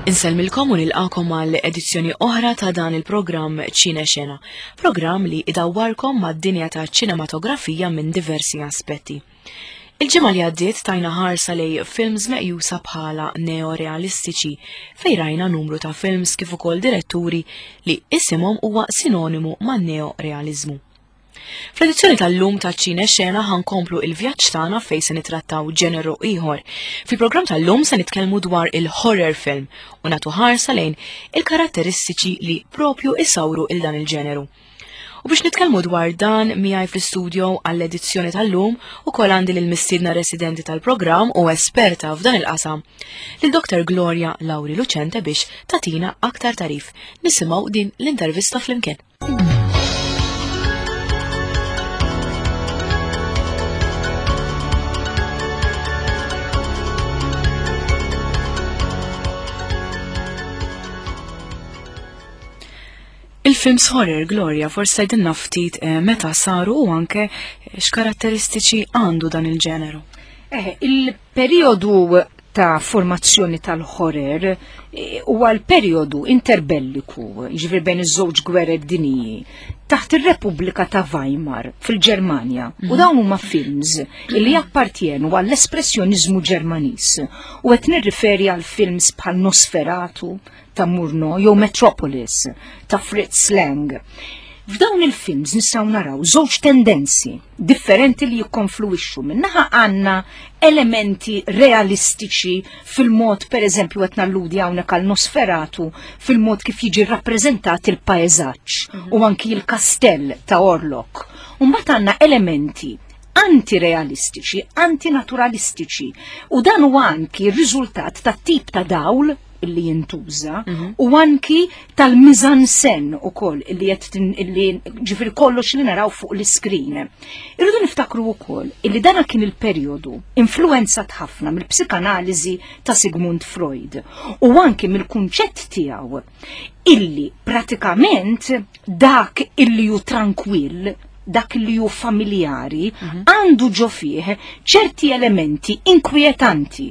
Insellmilkom u nilqakom għal edizzjoni oħra ta' dan il-programm Ċine Xena, programm li idawwarkom mad-dinja ta' ċinematografija minn diversi aspetti. Il-ġimgħa li għaddiet tajna ħarsa lej films meqjusa bħala neorealistiċi fejn rajna numru ta' films kif ukoll diretturi li isimhom huwa sinonimu man neorealiżmu. Fl-edizzjoni tal-lum ta' ċine xena ħankomplu il-vjaġġ tagħna fejn se nitrattaw ġeneru ieħor. Fil-programm tal-lum se nitkellmu dwar il-horror film u nagħtu ħarsa lejn il-karatteristiċi li propju isawru il dan il-ġeneru. U biex nitkellmu dwar dan miegħi fl-istudio għall-edizzjoni tal-lum ukoll għandi lil mistiedna residenti tal-programm u esperta f'dan il-qasam, lil Dr. Gloria Lauri Lucente biex tatina aktar tarif. Nisimgħu din l-intervista flimkien. Il-films horror, Gloria, forsi tgħidilna ftit eh, meta saru u anke eh, x'karatteristiċi għandu dan il-ġeneru. Eh, il-periodu ta' formazzjoni tal-horror eh, huwa l-periodu interbelliku, jiġifieri bejn iż-żewġ gwerer dinji, taħt ir-Repubblika ta' Weimar fil-Ġermanja. U mhm. dawn huma films li jappartjenu għall-espressjoniżmu Ġermaniż u qed nirriferi għal films bħal Nosferatu, ta' Murnau jew Metropolis ta' Fritz Lang. F'dawn il-films nistgħu naraw żewġ tendenzi differenti li jikkonfluwixxu. Minnaħa għandna elementi realistiċi fil-mod pereżempju qed nalludi hawnhekk għal Nosferatu fil-mod kif jiġi rappreżentat il-paesaġġ mhm. u anki l-kastell ta' Orlok. U mbagħad għandna elementi antirealistiċi, antinaturalistiċi u dan huwa anki r-riżultat tat-tip ta' dawl illi jintuża mhm. u anki tal-mizansen u koll illi jett illi ġifir kollox li naraw fuq l-iskrin. Irridu niftakru u koll illi dana kien il-periodu influenzat ħafna mill-psikanaliżi ta' Sigmund Freud u anki mill-kunċett tiegħu illi pratikament dak illi ju trankwill dak li ju familjari mhm. għandu ġo fih ċerti elementi inkwietanti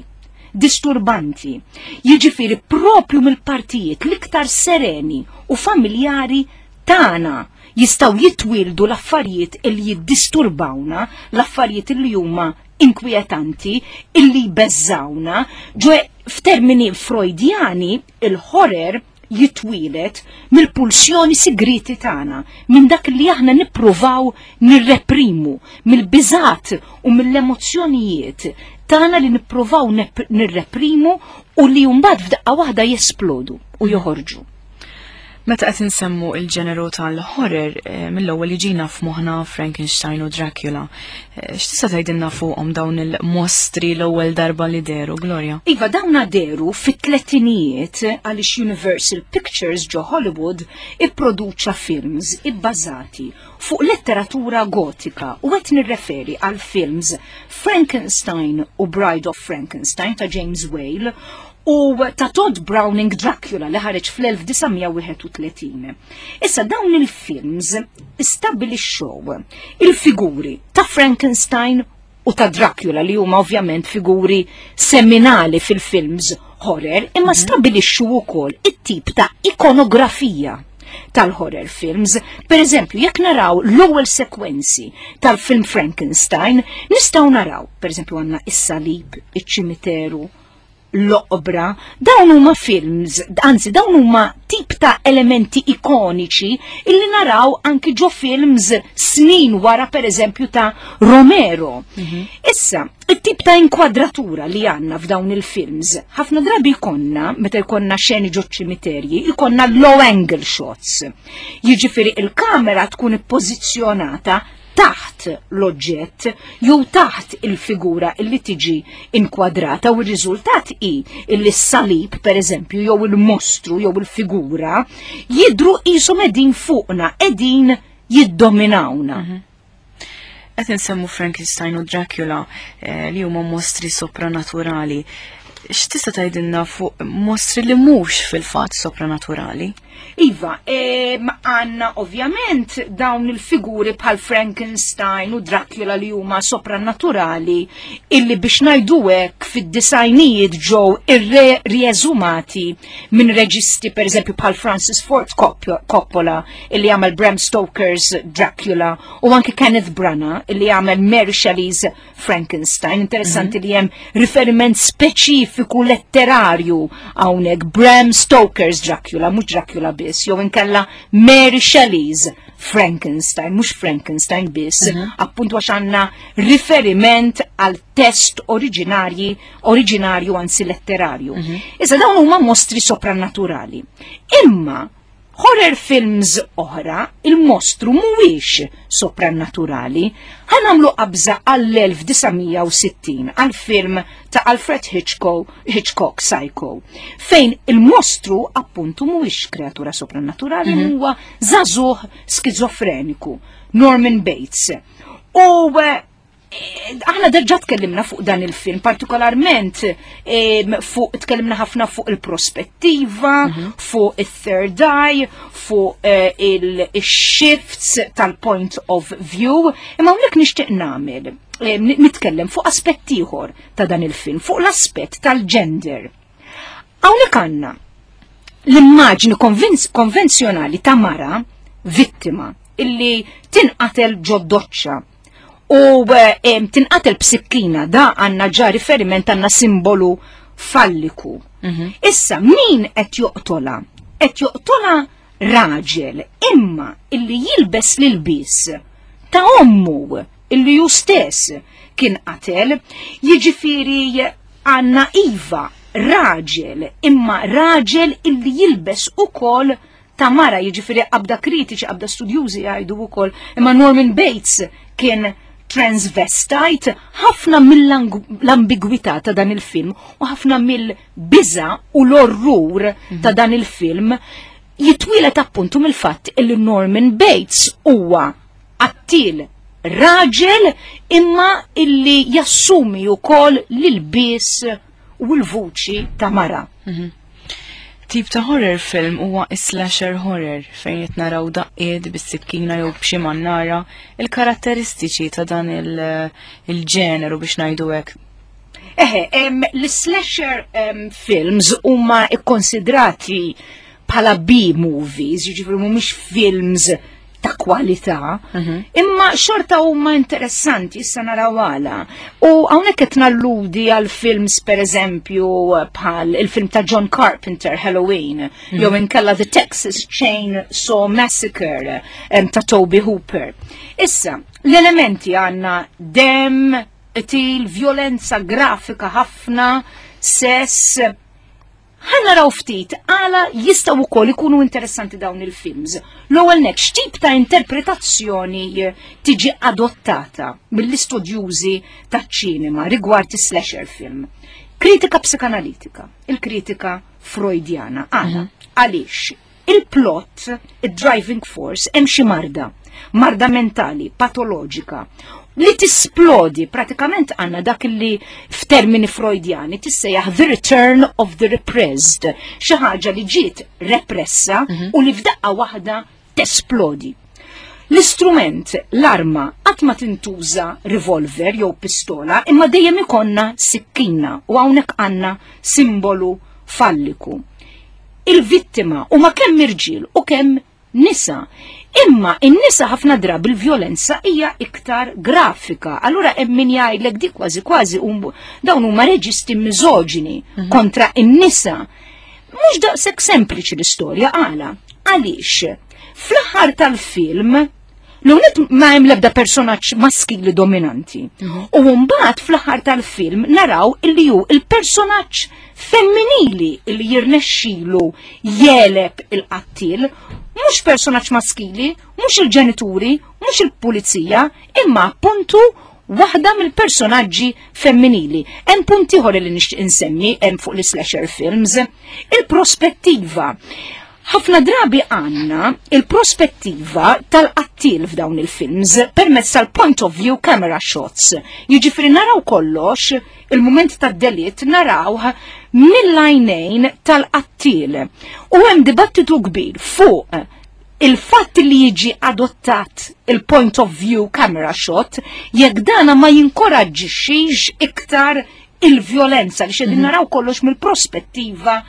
disturbanti, jiġifieri propju mill-partijiet l-iktar sereni u familjari tagħna jistgħu jitwieldu l-affarijiet li jiddisturbawna, l-affarijiet li huma inkwietanti, illi jbeżżawna, ġwe f'termini Freudjani il-horror jitwieled mill-pulsjoni sigrieti tagħna, minn dak li aħna nippruvaw nirreprimu, mill-biżat u mill-emozzjonijiet tagħna li nippruvaw nirreprimu u li mbagħad f'daqqa waħda jesplodu u joħorġu. Meta qed insemmu il-ġeneru tal-horror, eh, mill-ewwel jiġina f'moħħna Frankenstein u Dracula. Eh, x'tista' tgħidilna fuqhom dawn il-mostri l-ewwel darba li deru, Gloria? Iva, dawna deru fit-tletinijiet għaliex Universal Pictures ġo Hollywood ipproduċa films ibbażati fuq letteratura gotika u qed nirreferi għal films Frankenstein u Bride of Frankenstein ta' James Whale u ta' Todd Browning Dracula li ħareġ fl-1931. Issa dawn il-films istabilixxew il-figuri ta' Frankenstein u ta' Dracula li huma ovvjament figuri seminali fil-films horror, imma mhm. stabilixxu wkoll it-tip ta' ikonografija tal-horror films. Per eżempju, jekk naraw l-ewwel sekwenzi tal-film Frankenstein, nistgħu naraw, per eżempju, għandna is-salib, iċ-ċimiteru, l-oqbra, dawn huma films, anzi dawn huma tip ta' elementi ikoniċi illi naraw anki ġo films snin wara per eżempju ta' Romero. Mhm. Issa, it-tip ta' inkwadratura li għanna f'dawn il-films, ħafna drabi jkollna, meta jkollna xeni ġo ċimiterji, jkollna low angle shots. Jiġifieri il-kamera tkun ippożizzjonata taħt l-oġġett jew taħt il-figura illi tiġi inkwadrata u r-riżultat hi illi s-salib pereżempju jew il-mostru jew il-figura jidru qishom qegħdin fuqna, qegħdin jiddominawna. Mhm. Qed insemmu Frankenstein u Dracula eh, li huma mostri sopranaturali. X'tista' tgħidilna fuq mostri li mhux fil-fatt sopranaturali? Iva, għanna ovvjament dawn il-figuri bħal Frankenstein u Dracula li huma sopranaturali illi biex ngħidu hekk fid-disajnijiet ġew irrieżumati minn reġisti pereżempju bħal Francis Ford Coppola illi għamel Bram Stoker's Dracula u anki Kenneth Branagh illi għamel Mary Shelley's Frankenstein. Interessanti li hemm riferiment speċifiku letterarju hawnhekk Bram Stoker's Dracula, mhux Dracula biss, jew inkella Mary Shelley's Frankenstein, mhux Frankenstein biss, appuntu għax għandna riferiment għal test oriġinarji, oriġinarju anzi letterarju. Issa dawn huma mostri soprannaturali. Imma Horror films oħra, il-mostru mhuwiex soprannaturali. Ħa nagħmlu qabża għall-1960 għall-film ta' Alfred Hitchcock, Hitchcock Psycho, fejn il-mostru appuntu mhuwiex kreatura soprannaturali, huwa żagħżugħ skizofreniku, Norman Bates. U eh, aħna derġa tkellimna fuq dan il-film, partikolarment fuq tkellimna ħafna fuq il-prospettiva, fuq il-third eye, fuq eh, il-shifts tal-point of view, imma hawnhekk nixtieq nagħmel nitkellem fuq aspett ieħor ta' dan il-film, fuq l-aspett tal-gender. Hawnhekk għandna l-immaġni konvenzjonali ta' mara vittima illi tinqatel ġod-doċċa u eh, tinqatel b'sikkina da għandna ġa riferiment għandna simbolu falliku. Issa min qed joqtola? Qed joqtola raġel imma illi jilbes l-ilbies ta' ommu illi ju stess kien qatel, jiġifieri għandna iva raġel imma raġel illi jilbes ukoll ta' mara, jiġifieri qabda kritiċi, qabda studjużi jgħidu wkoll, imma Norman Bates kien transvestite, ħafna mill-ambigwità ta' dan il-film u ħafna mill-biża u l-orrur ta' dan il-film jitwieled appuntu mill-fatt illi Norman Bates huwa qattiel raġel imma illi jassumi wkoll l-ilbies u l-vuċi ta' mara. Tip ta' horror film huwa slasher horror fejn qed naraw daqqiet bis-sikkina jew b'xi mannara il-karatteristiċi ta' dan il-ġeneru biex ngħidu hekk. Eħe, l-slasher films huma ikkonsidrati bħala B-movies, jiġifieri mhumiex films ta' kwalità, imma xorta huma interessanti issa naraw għala. U hawnhekk qed nalludi għal films pereżempju bħal il-film ta' John Carpenter Halloween, jew inkella The Texas Chain Saw Massacre ta' Tobe Hooper. Issa, l-elementi għandna dem, qtil, violenza grafika ħafna, sess, Ħa naraw ftit għala jistgħu wkoll ikunu interessanti dawn il-films. L-ewwel nett x'tip ta' interpretazzjoni tiġi adottata mill-istudjużi taċ-ċinema rigward is-slasher film. Kritika psikanalitika, il-kritika Freudjana. Għala, għaliex il-plot, il-driving force, hemm xi marda, marda mentali, patoloġika, li tisplodi pratikament għanna dak li f'termini Freudjani tissejjaħ the return of the repressed, xi ħaġa li ġiet repressa u li f'daqqa waħda tesplodi. L-istrument, l-arma, qatt ma tintuża revolver jew pistola, imma dejjem ikonna sikkina u hawnhekk għandna simbolu falliku. Il-vittima huma kemm irġiel u kemm nisa. Imma in-nisa ħafna drabi l-vjolenza hija iktar grafika. Allura hemm min jgħidlek dik kważi kważi dawn huma reġisti miżoġini kontra in-nisa. Mhux daqshekk sempliċi l-istorja għala. Għaliex? Fl-aħħar tal-film l-unet ma hemm l-ebda personaġġ maskili dominanti. U mbagħad fl-aħħar tal-film naraw illi hu il-personaġġ femminili illi jirnexxilu jeleb il-qattil, mhux personaġġ maskili, mhux il-ġenituri, mhux il-pulizija, imma appuntu waħda mill-personaġġi femminili. Hemm punt ieħor li nixtieq insemmi hemm fuq l-slasher films, il-prospettiva. Ħafna drabi għandna il-prospettiva tal-qattil f'dawn il-films permezz tal-point of view camera shots. Jiġifieri naraw kollox il-mument tad-delitt narawh mill-għajnejn tal-qattil. U hemm dibattitu kbir fuq il-fatt li jiġi adottat il-point of view camera shot jekk dana ma jinkoraġġixxix iktar il-vjolenza li xedin mhm. naraw kollox mill-prospettiva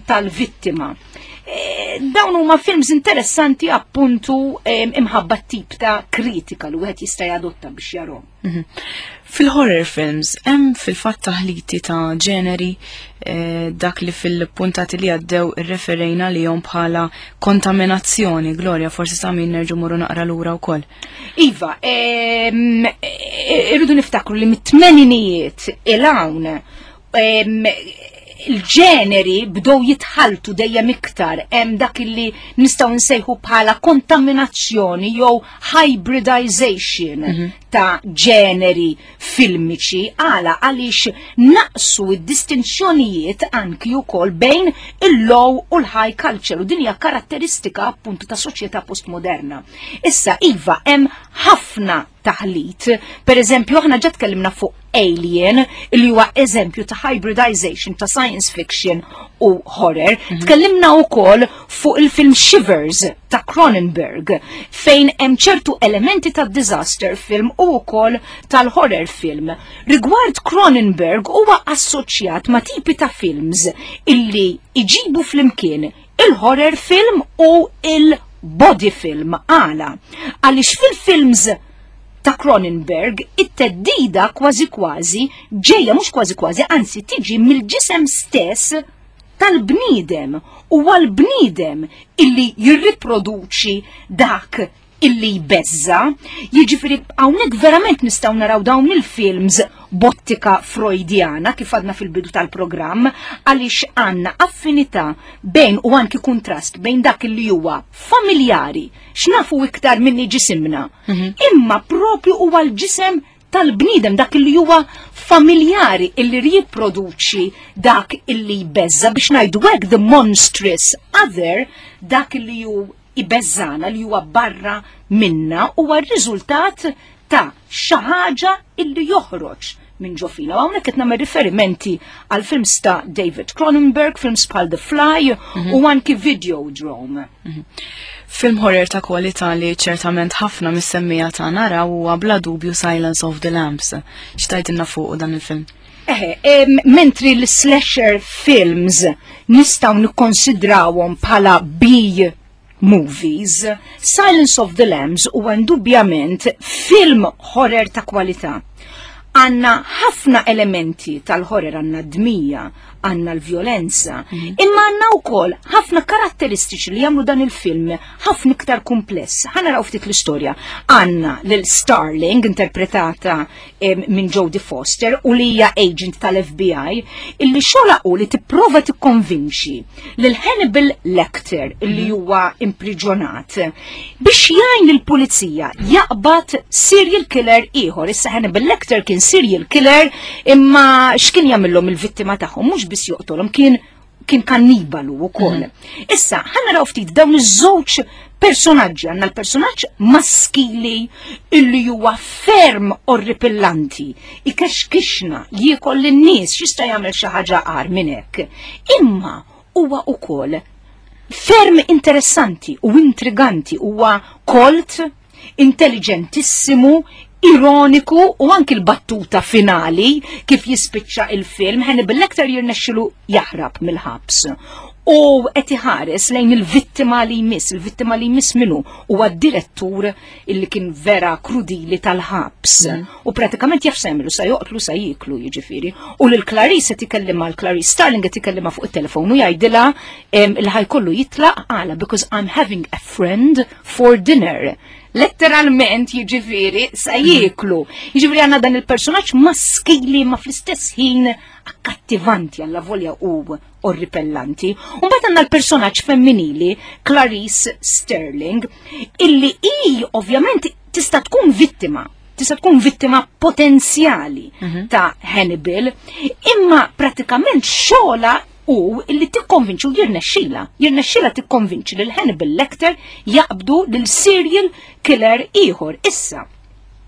tal-vittima. E, dawn huma films interessanti appuntu imħabba tip ta' kritika li wieħed jista' jadotta biex jarhom. Mhm. Fil-horror films hemm fil-fatt taħliti ta' ġeneri eh, dak li fil-puntati li għaddew irreferejna li jom bħala kontaminazzjoni. Gloria, forsi sa' min nerġu morru naqra lura wkoll. Iva, eh, irridu niftakru li mit-tmeninijiet il-hawn il-ġeneri bdew jitħaltu dejjem iktar hemm dak illi nistgħu nsejħu bħala kontaminazzjoni jew hybridization mm -hmm. ta' ġeneri filmiċi għala għaliex naqsu id-distinzjonijiet anki wkoll bejn il-low u l-high culture u din hija karatteristika appuntu ta' soċjetà postmoderna. Issa iva hemm ħafna taħlit. Per eżempju, aħna ġa tkellimna fuq Alien, li huwa eżempju ta' hybridization ta' science fiction u horror. Mm -hmm. Tkellimna wkoll fuq il-film Shivers ta' Cronenberg, fejn hemm ċertu elementi ta' disaster film u wkoll tal-horror film. Rigward Cronenberg huwa assoċjat ma' tipi ta' films illi iġibu flimkien il-horror film u il-body film għala. Għaliex fil-films ta' Cronenberg it-teddida kważi kważi ġejja mhux kważi kważi anzi tiġi mill-ġisem stess tal-bniedem u għal-bniedem illi jirriproduċi dak illi jbeżza, jiġifieri hawnhekk verament nistgħu naraw dawn il-films bottika Freudjana kif għadna fil-bidu tal-programm għaliex għandna affinità bejn u anki kuntrast bejn dak li huwa familjari x'nafu iktar minni ġisimna. Mhm. Imma propju huwa l-ġisem tal-bniedem dak li huwa familjari illi riproduċi dak illi jbeżza biex ngħidu hekk the monstrous other dak li hu ibeżżagħna li huwa barra minna huwa r-riżultat ta' xi ħaġa illi joħroġ minn ġo fina. U hawnhekk qed nagħmel riferimenti għal films ta' David Cronenberg, films bħal The Fly mm -hmm. u anki Videodrome. Mm -hmm. Film horror ta' kwalità li ċertament ħafna mis-semmija ta' naraw huwa bla dubju Silence of the Lambs. X'tajtilna fuq dan il-film? Eħe, mentri l-slasher films nistgħu nikkonsidrawhom bħala B movies, Silence of the Lambs huwa indubjament film horror ta' kwalità. Għanna ħafna elementi tal-horror għanna dmija, għanna l-vjolenza, mhm. imma għanna wkoll ħafna karatteristiċi li jagħmlu dan il-film ħafna iktar kumpless. Ħa naraw ftit l-istorja. Għanna lil Starling interpretata minn Jodie Foster u li hija agent tal-FBI illi xogħla u li tipprova tikkonvinċi lil Hannibal Lecter illi mhm. huwa impriġonat biex jgħin lill-pulizija jaqbad serial killer ieħor. Issa Hannibal Lecter kien serial killer imma x'kien jagħmilhom il-vittima tagħhom mhux biss joqtolhom kien kien kannibalu wkoll. Mhm. Issa, ħa naraw ftit dawn iż-żewġ personaġġi, għandna l-personaġġ maskili illi huwa ferm orripillanti, ikexkixna, jiekol lin-nies, x'jista' jagħmel xi ħaġa agħar minn hekk. Imma huwa ukoll ferm interessanti u intriganti, huwa kolt, intelligentissimu, ironiku u anki l-battuta finali kif jispiċċa il-film Hannibal Lecter jirnexxilu jaħrab mill-ħabs. U qed iħares lejn il-vittima li jmiss, il-vittima li jmiss minnu huwa d-direttur illi kien vera krudili tal-ħabs. Mm. U pratikament jaf se jagħmlu sa joqtlu sa jiklu jiġifieri. U lil Clarice qed ikellima l-Clarice Starling qed ikellima fuq it-telefon u jgħidilha il ħajkollu jitlaq għala because I'm having a friend for dinner. Letteralment jiġifieri sa jieklu. Jiġifieri għandna dan il-personaġġ maskili ma fl-istess ħin akkattivanti għalla volja u orripellanti. U mbagħad għandna l-personaġġ femminili Clarice Sterling illi hi ovvjament tista' tkun vittima tista' tkun vittima potenzjali mm -hmm. ta' Hannibal, imma pratikament xogħla hu illi tikkonvinċi u jirnexxila, jirnexxila tikkonvinċi lil Hannibal Lecter jaqbdu lil serial killer ieħor. Issa,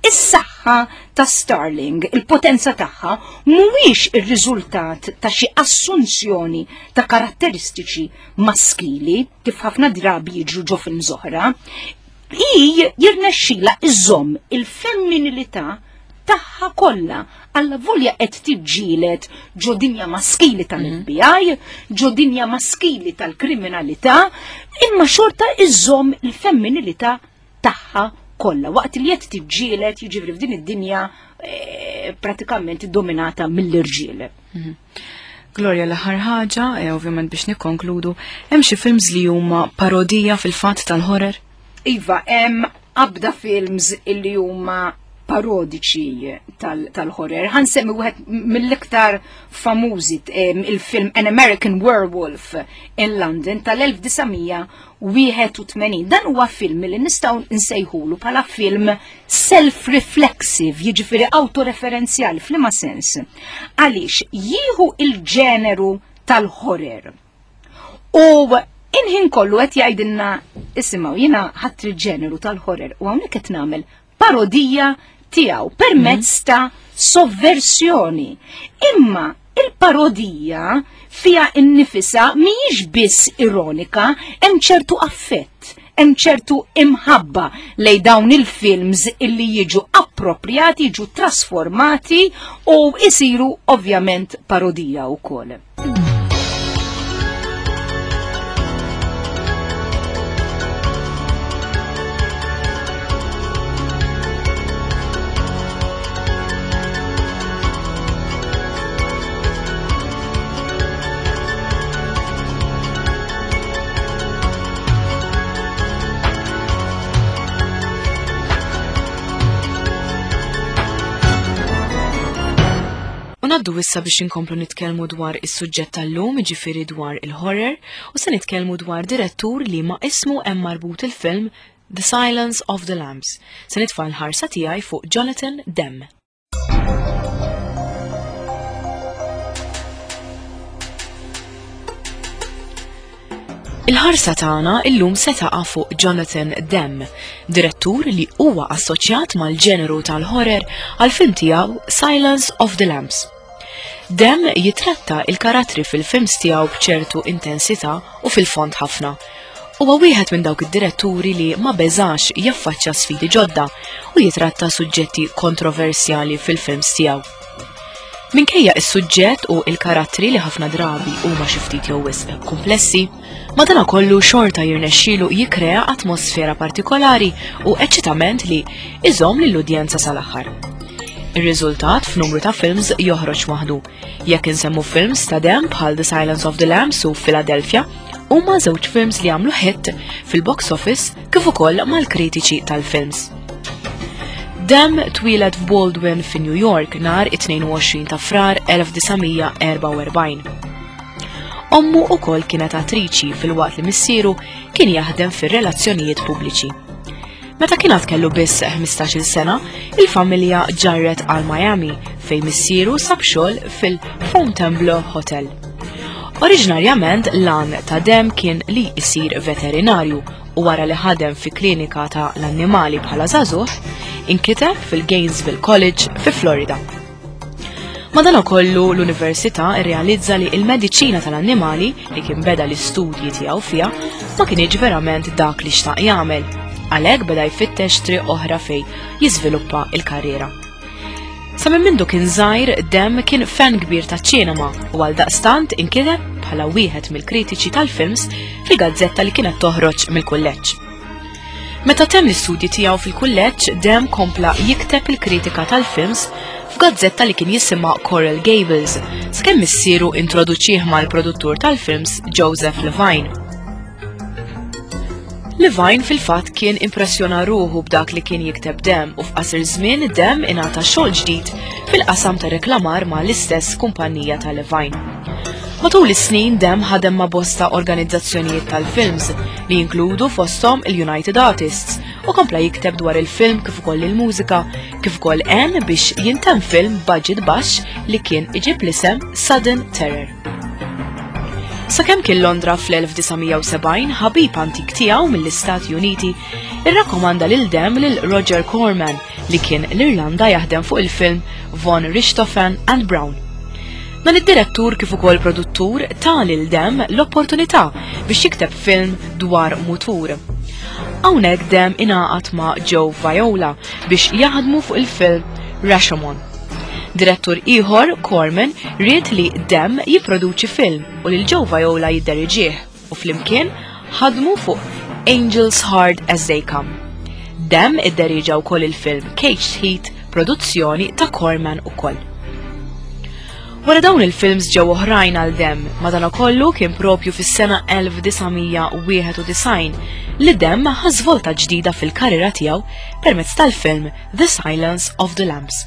is-saħħa ta' Starling, il-potenza tagħha, mhuwiex ir-riżultat ta' xi assunzjoni ta' karatteristiċi maskili, kif ħafna drabi jiġru ġo films oħra, hi jirnexxila iżomm il-femminilità tagħha kollha alla volja qed tiġġieled ġo dinja maskili tal-FBI, ġo dinja maskili tal-kriminalità, imma xorta iżomm il-femminilità tagħha kollha waqt li qed tiġġieled jiġifieri f'din id-dinja eh, pratikament dominata mill-irġiel. Mhm. Gloria l-aħħar ħaġa, e ovvjament biex nikkonkludu, hemm xi films li huma parodija fil-fatt tal-horror? Iva, hemm abda films illi huma parodiċi tal-horror. Tal Ħansemmi wieħed mill-iktar famużi il-film An American Werewolf in London tal-1981. Dan huwa film li nistgħu nsejħulu bħala film self-reflexive, jiġifieri autoreferenzjali f'liema sens. Għaliex jieħu il-ġeneru tal-horror. U inħin kollu qed jgħidilna isimgħu jiena ħadd il-ġeneru tal-horror u hawnhekk qed nagħmel parodija tiegħu permezz mhm. ta' sovversjoni. Imma il-parodija fija innifisa mhijiex biss ironika, hemm ċertu affett, hemm ċertu imħabba lej dawn il-films illi jiġu appropriati, jiġu trasformati u isiru ovvjament parodija wkoll. U naddu issa biex inkomplu nitkellmu dwar is-suġġett tal-lum, jiġifieri dwar il-horror, u se nitkellmu dwar direttur li ma' ismu hemm marbut il-film The Silence of the Lambs. Se nitfa' l-ħarsa tiegħi fuq Jonathan Demme. Il-ħarsa tagħna illum se taqa' fuq Jonathan Demme, direttur li huwa assoċjat mal-ġeneru tal-horror għal film tiegħu Silence of the Lambs. Demme jitratta il-karattri fil-films tiegħu b'ċertu intensità u fil-fond ħafna. Huwa wieħed minn dawk id-diretturi li ma beżax jaffaċċja sfidi ġodda u jitratta suġġetti kontroversjali fil-films tiegħu. Minkejja is-suġġett u il-karattri li ħafna drabi huma xi ftit jew wisq komplessi, madanakollu xorta jirnexxielu jikkrea atmosfera partikolari u eċċitament li iżomm lill-udjenza sal-aħħar. Ir-riżultat f'numru ta' films joħroġ waħdu. Jekk insemmu films ta' Demme bħal The Silence of the Lambs u Philadelphia, huma żewġ films li għamlu hit fil-box office kif ukoll mal-kritiċi tal-films. Demme twieled f'Baldwin fi New York nhar it-22 ta' Frar 1944. Ommu ukoll kienet attriċi filwaqt li missieru kien jaħdem fir-relazzjonijiet pubbliċi. Meta kien għad kellu biss 15-il sena, il-familja ġarret għal Miami fejn missieru sab xogħol fil-Fontainebleau Hotel. Oriġinarjament l-għan ta' Demme kien li jsir veterinarju u wara li ħadem fi klinika ta' l-annimali bħala żagħżugħ, inkiteb fil-Gainesville College fi Florida. Madanakollu l-università rrealizza li il-mediċina tal-annimali li kien beda l-istudji tiegħu fiha ma kienx verament dak li xtaq jagħmel. Għalhekk beda jfittex triq oħra fej jiżviluppa il-karriera. Sa minn mindu kien żgħir, Demme kien fan kbir taċ-ċinema u għal daqstant inkiteb bħala wieħed mill-kritiċi tal-films fil-gazzetta li kienet toħroġ mill-kulleġġ. Meta temm l-istudji tiegħu fil-kulleġġ, Demme kompla jikteb il-kritika tal-films f'gazzetta li kien jisimha Coral Gables, sakemm missieru introduċih mal-produttur tal-films Joseph Levine. Levine fil-fatt kien impressjona ruħu b'dak li kien jikteb Demme u f'qasir żmien Demme ingħata xogħol ġdid fil-qasam ta' reklamar ma' l-istess kumpanija ta' Levine. Matul is-snin Demme ħadem ma' bosta organizzazzjonijiet tal-films li jinkludu fosthom il-United Artists u kompla jikteb dwar il-film kif ukoll il-mużika kif ukoll għen biex jintemm film budget baxx li kien iġib l-isem Sudden Terror. Sakemm kien Londra fl-1970, ħabib antik tiegħu mill-Istati Uniti irrakkomanda lil Demme lil Roger Corman li kien l-Irlanda jaħdem fuq il-film Von Richthofen and Brown. Dan id-direttur kif ukoll produttur ta lil Demme l-opportunità biex jikteb film dwar mutur. Hawnhekk Demme ingħaqad ma' Joe Viola biex jaħdmu fuq il-film Rashomon. Direttur ieħor, Corman, ried li Demme jipproduċi film u lil Joe Viola jidderiġih u flimkien ħadmu fuq Angels Hard as They Come. Demme idderiġa wkoll il-film Caged Heat, produzzjoni ta' Corman ukoll. Wara dawn il-films ġew oħrajn għal Demme, madankollu kien propju fis-sena 1991 li Demme ħa żvolta ġdida fil-karriera tiegħu permezz tal-film The Silence of the Lambs.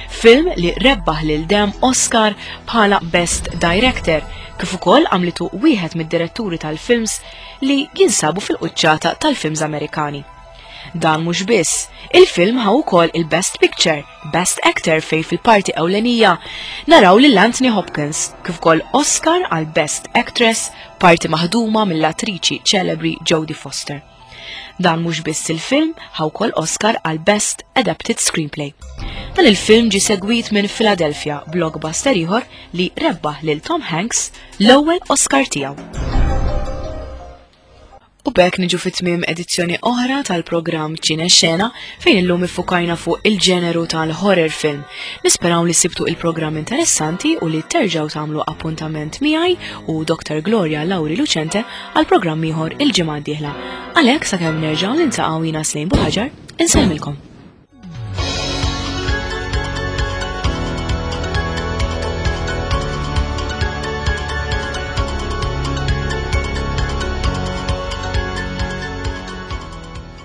Film li rebbaħ lil Demme Oscar bħala Best Director, kif ukoll għamlitu wieħed mid-diretturi tal-films li jinsabu fil-quċċata tal-films Amerikani. Dan mhux biss, il-film ħa wkoll il-Best Picture, Best Actor fej fil-parti ewlenija naraw lil Anthony Hopkins, kif ukoll Oscar għal Best Actress, parti maħduma mill-attriċi ċelebri Jodie Foster. Dan mhux biss il-film ħa wkoll Oscar għal Best Adapted Screenplay. Dan il-film ġie segwit minn Philadelphia, blockbuster ieħor li rebbaħ lil Tom Hanks l-ewwel Oscar tiegħu. U b'hekk niġu fi tmiem edizzjoni oħra tal-programm Ċine Xena fejn illum iffukajna fuq il-ġeneru tal-horror film. Nisperaw li sibtu il-programm interessanti u li terġgħu tagħmlu appuntament miegħi u Dr. Gloria Lauri Lucente għal programm ieħor il-ġimgħa d-dieħla. Għalhekk sakemm nerġgħu niltaqgħu jiena Slejn Buħaġar, insellmilkom.